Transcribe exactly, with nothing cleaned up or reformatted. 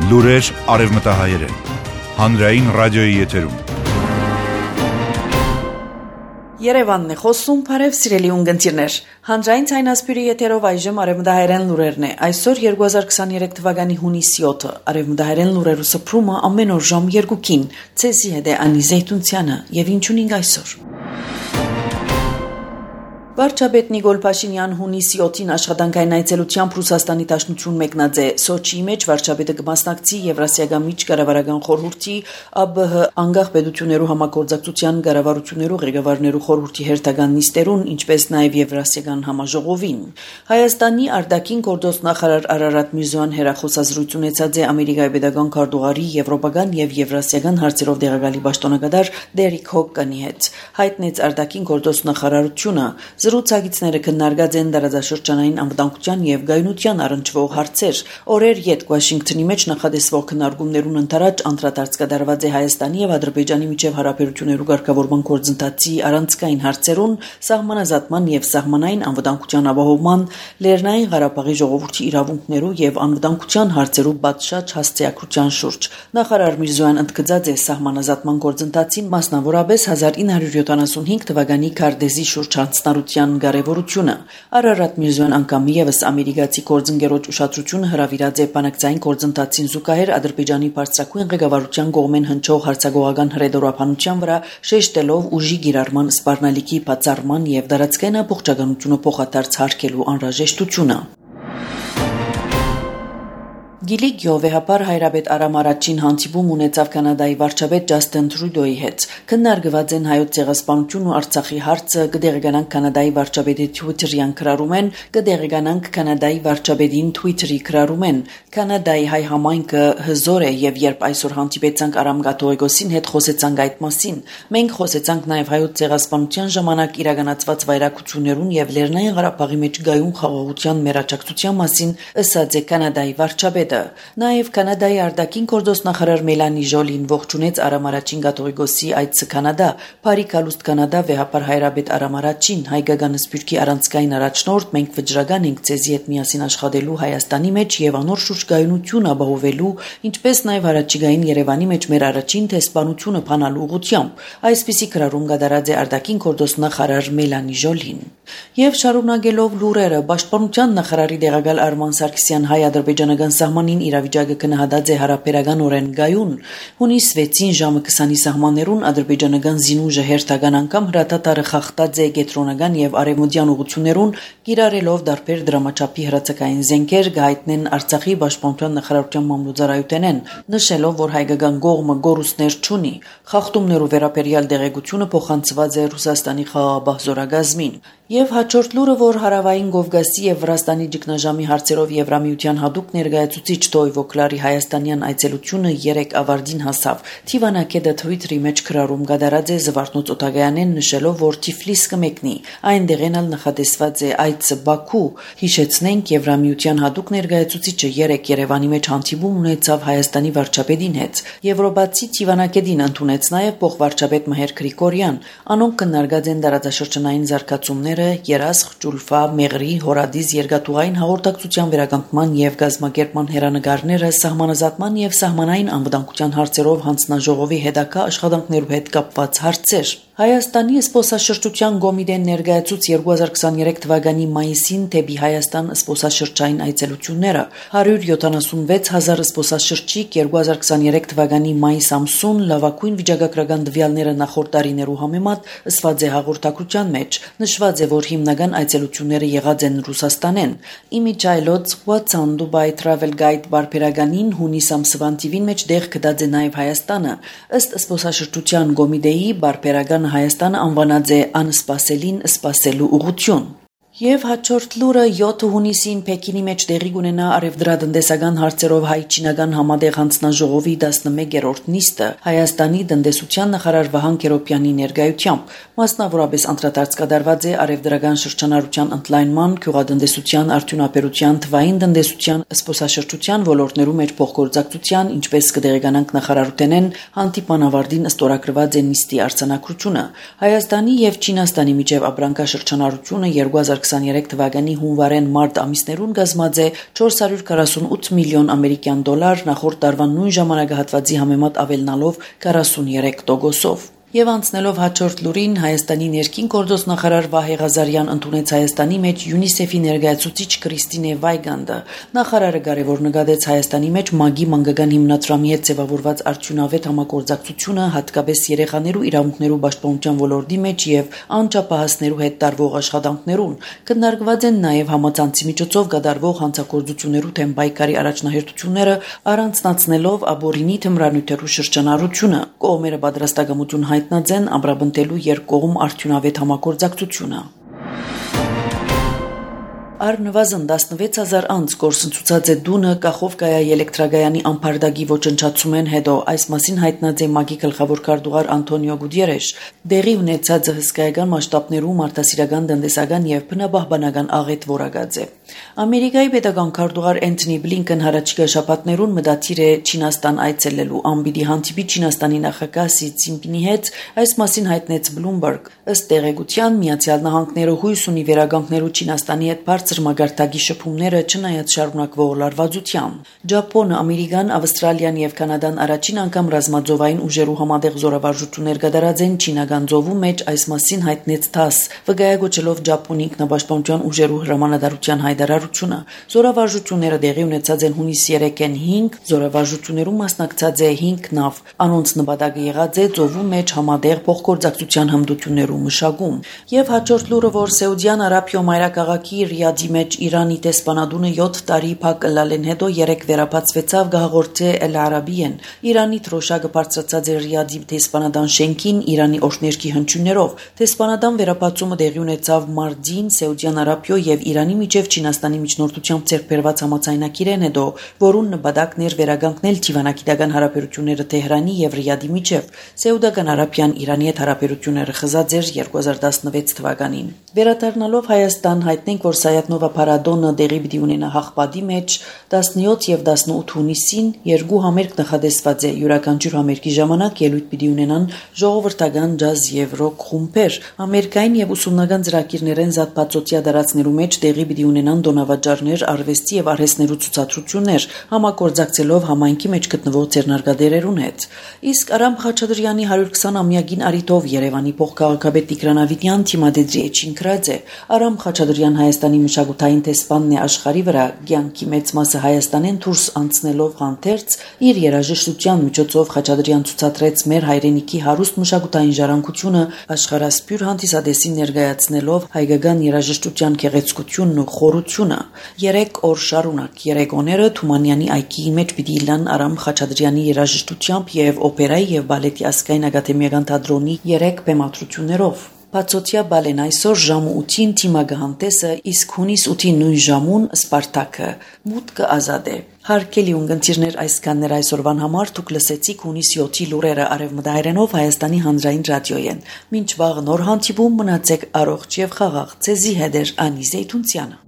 Լուրեր արևմտահայերեն, հանրային ռադիոյի եթերում։ Երևանն է խոսում, բարև սիրելի ունգընտիրներ։ Հանրային ցայնասպիրի եթերով այժմ արևմտահայերեն լուրերն է։ Այսօր երկու հազար քսաներեք թվականի հունիսի յոթը արևմտահայերեն լուրերու սփռումը ամեն օր ժամ երկուքին։ Ցեզի հետ է Անի Զեյթունցյանը եւ ինչունինք այսօր։ Վարչապետ Նիկոլ Փաշինյան հունիսի յոթին աշխատանքային այցելությամբ Ռուսաստանի Դաշնություն մեկնած է Սոչիի մեջ վարչապետը կմասնակցի Եվրասիական միջկառավարական խորհրդի ԱԲՀ անկախ պետություններու համագործակցության կառավարություններու ղեկավարներու խորհրդի հերթական նիստերուն, ինչպես նաև Եվրասիական համաժողովին։ Հայաստանի արտաքին գործոստ նախարար Արարատ Միրզոյան հերախոսազրույց ունեցած է Ամերիկայի պետական քարտուղարի եվրոպական եւ եվրասիական հարցերով դեղակալի պաշտոնակատար Դերիկ Հոկկանի հետ։ Հայտնեց արտաքին գործոստ նախարարությունը Զրուցակիցները քննարկած են տարածաշրջանային անվտանգության եւ գայունության առնչվող հարցեր։ Օրեր յետ Վաշինգտոնի մեջ նախադեсվող քննարկումներուն ընթരാճ անդրադարձ կատարված է Հայաստանի եւ Ադրբեջանի միջև հարաբերություններու ղեկավարման գործընթացի առանցքային հարցերուն, սահմանազատման եւ սահմանային անվտանգության ապահովման, Լեռնային Ղարաբաղի ժողովրդի իրավունքներու եւ անվտանգության հարցերու պատշաճ հասցեակրության շուրջ։ Նախարար Միրզոյան ընդգծած է սահմանազատման գործընթացին, մասնավորապես հազար ինը հարյուր յոթանասունհինգ թվականի Քարդեզի շուրջ հանձնարարության կարևորությունը։ Արարատ Միրզոյան անգամ եւս ամերիկացի գործընկերոջ ուշադրությունը հրավիրած է բանակցային գործընթացին զուգահեռ Ադրբեջանի բարձրագույն ղեկավարության կողմեն հնչող հարցագողական հրեդորաբանության վրա, շեշտելով ուժի գիրառման սպառնալիքի բացառման եւ դարածքային ամբողջականությունը փոխադարձ հարգելու անհրաժեշտությունը։ Գիլի Գյովեհապար հայրաբեդ Արամ առաջին հանդիպում ունեցավ Կանադայի վարչապետ Ջաստին Տրյուդոյի հետ։ Քննարկված են հայոց ցեղասպանությունն ու Արցախի հարցը, կդեղեկանանք Կանադայի վարչապետի Twitter-յան քրարումեն, կդեղեկանանք Կանադայի վարչապետին Twitter-ի քրարումեն։ Կանադայի հայ համայնքը հզոր է եւ երբ այսօր հանդիպեցանք Արամ Կաթողիկոսին հետ խոսեցանք այդ մասին։ Մենք խոսեցանք նաեւ հայոց ցեղասպանության ժամանակ իրականացված վայրակություններուն եւ Լեռնային Ղարաբաղի մեջ գայուն խաղաղության մերաճակցության մասին, ըսած է Կանադայի վարչապետը։ Նաև Կանադայի արտաքին գործոստ նախարար Մելանի Ժոլին ողջունեց Արամ առաջին կաթողիկոսի այցը Կանադա, Փարի կալուստ Կանադա վեհապար հայրաբեդ Արամ առաջին հայկական սփյուռքի առանցքային առաջնորդ, մենք վճռական ենք ցեզի հետ միասին աշխատելու Հայաստանի մեջ եւ անոր շուրջ գայունություն ապահովելու, ինչպես նաև առաջիկային Երևանի մեջ մեր առաջին տեսփանությունը փանալու ուղղությամբ։ Այսպիսի քրարում կատարած է արտաքին գործոստ նախարար Մելանի Ժոլին։ Եվ շարունակելով լուրերը, Պաշտպանության նախարարի դեղակալ Արման Սարգսյան հայ-ադրբեջանական սահմանին իրավիճակը գնահատած է հարաբերականորեն գայուն։ Հունիս վեցին ժամը քսանի սահմաններուն ադրբեջանական զինուժը հերթական անգամ հրատատարը խախտած է կենտրոնական եւ արևմտյան ուղություններուն, կիրառելով դարբեր դրամաչափի հրացակային զենքեր, գայտնեն Արցախի պաշտպանության նախարարության մամլոյցարայութենեն, նշելով, որ հայկական կողմը գորուստներ չունի։ Խախտումներու վերաբերյալ դեղեցությունը փոխանցված է Ռուսաստանի խաղաղապահ զորագազմին։ Եվ հաջորդ լուրը, որ Հարավային Կովկասի եւ Վրաստանի ճգնաժամի հարցերով Եվրամիության հատուկ ներկայացուցիչ Տոյվո Կլարի հայաստանյան այցելությունը երեք ավարտին հասավ։ Թիվանակետը Twitter-ի մեջ քրարում կատարած է Զվարթնոց Օտագայանեն, նշելով, որ Թիֆլիս կմեկնի։ Այնտեղեն ալ նախադեсված է այցը Բաքու։ Հիշեցնենք, Եվրամիության հատուկ ներկայացուցիչը երեք Երևանի մեջ հանդիպում ունեցավ Հայաստանի վարչապետին հետ։ Եվրոպացի Թիվանակետին ընդունեց նաեւ փոխվարչապետ Մհեր Գրիգորյան։ Անոնք քննարկած են տարածաշրջանային զարգացումները, երասխ, ջուլֆա, մեղրի, հորադիզ երկաթուղային հաղորդակցության վերականգնման եւ գազམ་ակերպման հերանեկարները, սահմանազատման եւ սահմանային անվտանգության հարցերով հանձնաժողովի հետագա աշխատանքներու հետ կապված հարցեր։ Հայաստանի զբոսաշրջության կոմիտեն ներկայացուց երկու հազար քսաներեք թվականի մայիսին դեպի Հայաստան զբոսաշրջային այցելությունները հարյուր յոթանասունվեց հազար զբոսաշրջիկ երկու հազար քսաներեք թվականի մայիս ամսուն լավագույն վիճակագրական տվյալները նախորդ տարիներու համեմատ ըսված է հաղորդակցության մեջ։ Նշված է, որ հիմնական այցելությունները եղած են Ռուսաստանեն։ Իմիջայլոց What's on Dubai Travel Guide բարբերականին հունիս ամսվան տիվին մեջ դեղ գտած է նաև Հայաստանը։ Ըստ զբոսաշրջության կոմիտեի բարբերական Հայաստանը անվանած է անսպասելին սպասելու ուղղություն։ Եվ հաջորդ լուրը յոթ հունիսին Պեկինի մեջ տեղի կունենա արևդրատնտեսական հարցերով հայ-չինական համատեղ հանձնաժողովի տասնմեկերորդ նիստը Հայաստանի տնտեսության նախարար Վահան Քերոբյանի ներկայությամբ, մասնավորապես անդրադարձ կատարված է արևդրական շրջանառության ընդլայնման, գյուղատնտեսության, արդյունաբերության, թվային տնտեսության, զբոսաշրջության ոլորտներու մեջ փոխգործակցության, ինչպես կդեղեկանանք նախարարութենեն հանդիպան ավարտին ստորագրված է նիստի արձանագրությունը։ Հայաստանի եւ Չինաստանի միջև ապրանքաշրջանառությունը երկու հազար քսաներեք թվականի հունվարեն-մարտ ամիսներուն գազմած է չորս հարյուր քառասունութ միլիոն ամերիկյան դոլար, նախորդ տարվա նույն ժամանակահատվածի համեմատ ավելնալով քառասուներեք տոկոսով։ Եվ անցնելով հաջորդ լուրին, Հայաստանի ներքին գործոս նախարար Վահե Ղազարյան ընդունեց Հայաստանի մեջ ՅՈՒՆԻՍԵՖ-ի ներկայացուցիչ Կրիստինե Վայգանդը։ Նախարարը կարևոր նկատեց Հայաստանի մեջ ՄԱԳ-ի մանկական հիմնադրամի հետ ձևավորված արդյունավետ համագործակցությունը, հատկապես երեխաներու իրավունքներու պաշտպանության ոլորտի մեջ եւ անչափահասներու հետ տարվող աշխատանքներուն։ Քննարկված են նաեւ համացանցի միջոցով կատարվող հանցագործություններու թեմ պայքարի առաջնահերթությունները, առանձնացնելով աբորինի թմրանյութերու շրջանառությունը։ Կողմերը պատրաստակամություն հայտնած են ամրապնդելու երկկողմ արդյունավետ համագործակցությունը։ Առնվազն տասնվեց հազար անց գործընծուցած է Դունը Կախովկայա էլեկտրագայանի ամփարդակի ոչնչացումեն հետո, այս մասին հայտնած է ՄԱԳ-ի գլխավոր քարտուղար Անտոնիո Գուտիերեշ։ Դեղի ունեցած հսկայական մասշտաբներու մարդասիրական, տնտեսական եւ բնապահպանական աղետ որակած է։ Ամերիկայի պետական քարտուղար Էնթոնի Բլինքեն հառաջիկա շաբաթներուն մտադիր է Չինաստան այցելելու, անպիտի հանդիպի Չինաստանի նախագահ Սի Ցզինպինի հետ, այս մասին հայտնեց Bloomberg։ Ըստ տեղեկության, Միացյալ Նահանգները հույս ունի վերագանքնելու Չինաստանի հետ բարձր մագարտակի շփումները չնայած շարունակվող լարվածության։ Ճապոնը, Ամերիկան, Ավստրալիան եւ Կանադան առաջին անգամ ռազմաձովային ուժերու համատեղ զորավարժություններ կատարած են Չինական ծովու մեջ, այս մասին հայտնեց ԹԱՍ, վկայակոչելով Ճապոնի ինքնապաշտպանության ուժերու հրամանատարության հայտարարությունը։ Զորավարժությունները տեղի ունեցած են հունիս երեքին հինգ, զորավարժություններում մասնակցած է հինգ նավ։ Անոնց նպատակը եղած է ծովու մեջ համատեղ փոխգործակցության հմտություններու մշակում։ Եվ հաջորդ լուրը, որ Սաուդյան Արաբիա մայրաքաղաքի Ռիադի մեջ Իրանի տեսփանադունը յոթ տարի փակ լալեն հետո երեք վերապացվեցավ գահաղորդե Էլ Արաբիեն։ Իրանի թրոշակը բարձրացած է Ռիադի տեսփանադան շենքին Իրանի օրհներքի հնչյուններով։ Տեսփանադան վերապացումը տեղի ունեցավ մարտին Սաուդյան Արաբիա եւ Իրանի միջև Չինաստանի միջնորդությամբ ձեռքբերված համաձայնագիրեն հետո, որուն նպատակն էր վերագանքնել դիվանագիտական հարաբերությունները Թեհրանի եւ Ռիադի միջև։ Սաուդական Արաբիան Իրանի հետ հարաբերությունները խզած էր երկու հազար տասնվեց թվականին։ Վերադառնալով Հայաստան, հայտնենք, որ Սայաթնովա փառատոնը տեղի պիտի ունենա Հաղպատի մեջ տասնյոթ եւ տասնութ հունիսին, երկու համերգ նախատեսված է։ Յուրաքանչյուր համերգի ժամանակ ելույթ պիտի ունենան ժողովրդական ջազ եւ ռոք խումբեր։ Ամերիկային եւ ուսումնական ծրագիրներեն զատպածոցիա դարածներու մեջ տեղի պիտի ունենան դոնավաճառներ, արվեստի եւ արհեստներու ցուցադրություններ, համագործակցելով համայնքի մեջ գտնվող ձեռնարկատերերուն հետ։ Իսկ Արամ Խաչատրյանի հարյուր քսան-ամյակին արիթով Երևանի փոխքաղաքապետ Տիգրան Ավետյան թիմադեդրի էջին գրած է։ Արամ Խաչատրյան Հայաստանի մշակութային տեսփանն է աշխարհի վրա, կյանքի մեծ մասը Հայաստանեն դուրս անցնելով հանդերձ իր երաժշտության միջոցով Խաչատրյան ցուցադրեց մեր հայրենիքի հարուստ մշակութային ժառանգությունը, աշխարհասփյուր հանդիսադեսին ներկայացնելով հայկական երաժշտության գեղեցկությունն ու խորությունը։ Երեք օր շարունակ Երեգոները Թումանյանի այգիի մեջ պիտի լան Արամ Խաչատրյանի երաժշտությամբ եւ օպերայի եւ բալետի ազգային ակադեմիական թատրոնի երեք բեմադրություններով։ Բացօթյա բալեն այսօր ժամը ութին թիմագահանտեսը, իսկ հունիս ութին նույն ժամուն Սպարտակը։ Մուտքը ազատ է։ Հարգելի ունկնդիրներ, այսքաններ այսօրվան համար, դուք լսեցիք հունիս յոթի լուրերը արևմտահայերենով Հայաստանի հանրային ռադիոյեն։ Մինչ վաղ նոր հանդիպում, մնացեք առողջ եւ խաղաղ։ Ձեզի հետ է Անի Զեյթունցյանը։